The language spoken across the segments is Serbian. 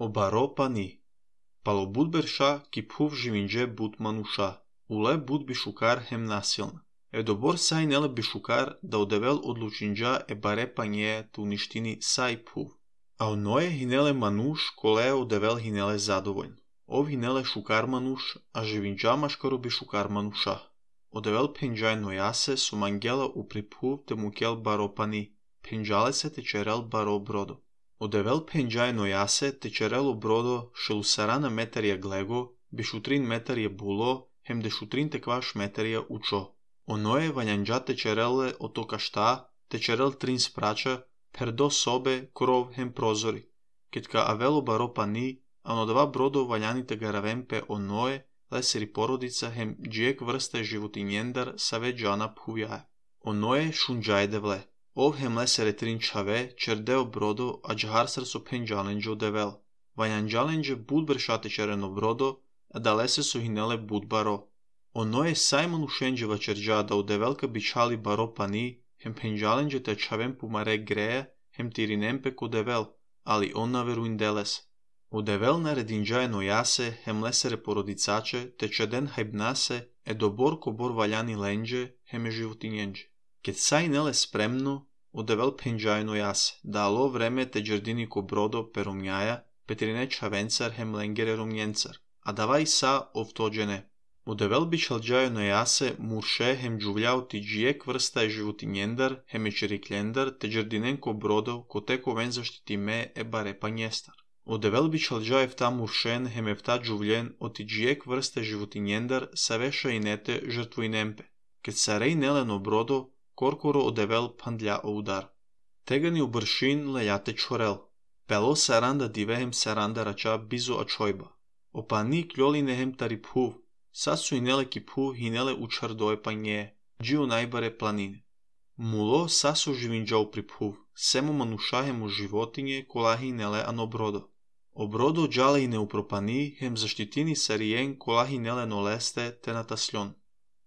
Обаро пани. Пало буд берша ки пув живинже буд мануша. Уле буд бишукар хем насилна. Добор сай неле бишукар да одевел одлучинджа баре панье ту ништини сай пув. А оное хинеле мануш коле одевел хинеле задоволн. Ов хинеле шукар мануш, а живинджа машкаро бишукар мануша. Одевел пенджай ноясе сумангела упри пув те мукел баро пани. Пенджале се течерел баро бродо. Одевел пенджай ноясе течерело бродо шелусарана метария глего, бишутрин метария було, хем дешутрин текваш метария учо. Оное ванянджа течереле ото кашта, течерел трин спрача, пердо собе, кров хем прозори. Кетка авело баро пани, а нодава бродо ваняните гаравемпе оное, лесери породица хем джиек врста животинjenдар саве джана пувяе. Оное шунджай девле. Ов хем лесере трин чаве, чердео бродо, а джахарсар со пенджаленджо девел. Ванянджалендже буд бершате черено бродо, а далесе со хинеле буд баро. Оное саймон ушендже вачерджа да одевелка бичали баро пани, хем пенджалендже те чавем пумаре грея, хем тиринемпе ко девел, али он наверуин делес. Одевел нарединджае ноясе, хем лесере породицаче, те чаден хайбнасе, добор кобор валяни лендже, хем животинjenđe. Кет сай неле спремно, одевел пенджае ноясе, да ало време те джердини ко бродо перумњаја, петрине чавенцар хем ленгере румњенцар, а давај са овтоđене. Одевел бичалджае ноясе, мурше хем джувљао ти джиек врста животинjenдар, хем ечерикљендар, те джердинен ко бродо, ко теко вен заштити ме баре панјестар. Одевел бичалджае евта муршен хем евта джувљен оти джиек врста животинjenдар савеша инете жртвуинемпе. Кет сарей нелено бродо, коркоро одевел пандља удар. Тегани убршин лејате чорел. Пело саранда дивехем саранда рача бизо ачојба. Опани кљолине хем тари пув. Сасу инеле ки пув хинеле учардое пање. Джио најбаре планине. Муло сасу живинџао при пув. Семо мануша хем у животиње кола хинеле ано бродо. Обродо джале и не упропани хем заштитини сариен кола хинеле нолесте те натаслјон.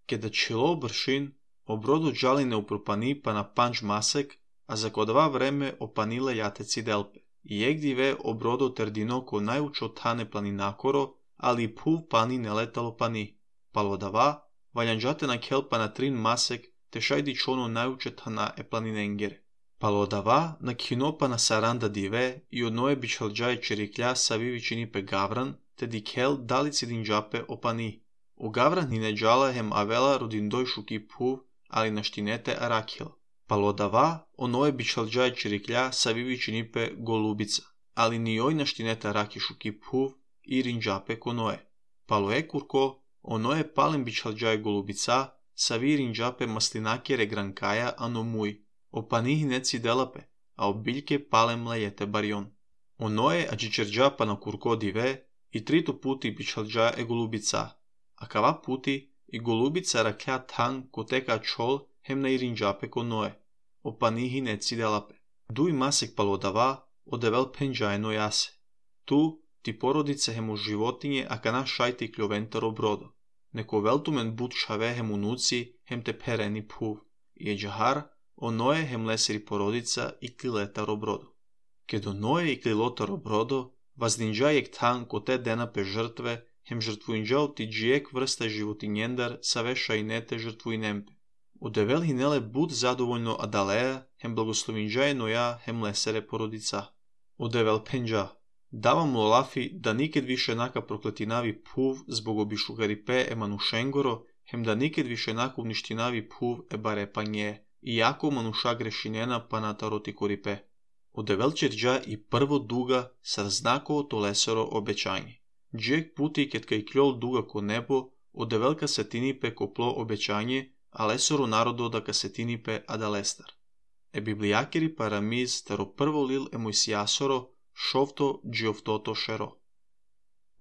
Кеда чело бршин, обродо джали не упропани па на панџ масек, а за кодава време опаниле јатеци делпе. И егдиве обродо тердино ко најучо тане планинакоро, али пув пани не летало пани. Палодава, ваљанџате на келпа на трин масек, те шајди чоно најуче тана планиненгере. Палодава на кинопа на саранда диве и одное бичалџаје черикља савивичини пе гавран, те дикел далици динџапе опани. У гавран нине джала хем авела родиндој шуки пув, али наштинете аракил. Палодава, оное бичалџаје черикља савивичини пе голубица, али ни ој наштинете араки шуки пув и ринџапе коное. Палое курко, оное палем бичалџаје голубица, сави ринџапе маслинакере гранкаја ано муј. Опани хинеци делапе, а обилјке палем лејете барјон. Оное аџичерџа па на курко диве, и трито пути бичалџаје голубица, а кава пути и голубица ракља тан ко тека чол хем на иринџапе коное. Опани хинеци делапе. Дуј масек палодава, одевел пенџаје нојасе. Ту ти породице хем у животиње, а кана шајти кљовентаро бродо. Неко велтумен буд шаве хем унуци, хем те перени пув. И еџахар, оное хем лесери породица и клилетаро бродо. Кедо ное и клилотаро бродо, ваздинџајек тан ко те дена пе жртве, хем жртвуинџао ти джиек врста животинjenдар саве шајнете жртвуинемпе. Одевел хинеле буд задоволно адалеја, хем благословинџаје ноја, хем лесере породица. Одевел пенџа. Давам лолафи да никед више нака проклетинави пув због обишугарипе манушенгоро, хем да никед више нака уништинави пув баре пање, и јако мануша грешинена па натароти корипе. Одевел черџа и прво дуга сар знаково то лесеро обеќање. Джек пути кет кај кљол дуга ко небо, одевел касетинипе копло обеќање, а лесоро народо да касетинипе адалестар. Библијакери парамиз таро прво лил емојсијасоро, шовто джиовтото шеро.